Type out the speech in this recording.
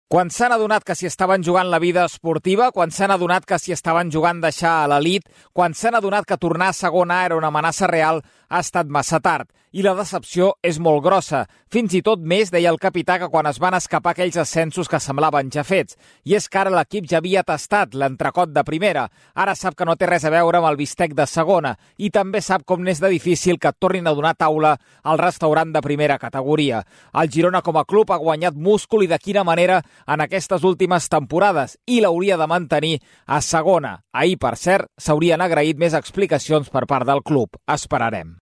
Quan s'han adonat que s'hi estaven jugant la vida esportiva, quan s'han adonat que s'hi estaven jugant deixar a l'elit, quan s'han adonat que tornar a segona era una amenaça real, ha estat massa tard. I la decepció és molt grossa. Fins i tot més, deia el capità, que quan es van escapar aquells ascensos que semblaven ja fets. I és que ara l'equip ja havia tastat l'entrecot de primera. Ara sap que no té res a veure amb el bistec de segona. I també sap com n'és de difícil que tornin a donar taula al restaurant de primera categoria. El Girona com a club ha guanyat múscul i de quina manera en aquestes últimes temporades i l'hauria de mantenir a segona. Ahir, per cert, s'haurien agraït més explicacions per part del club. Esperarem.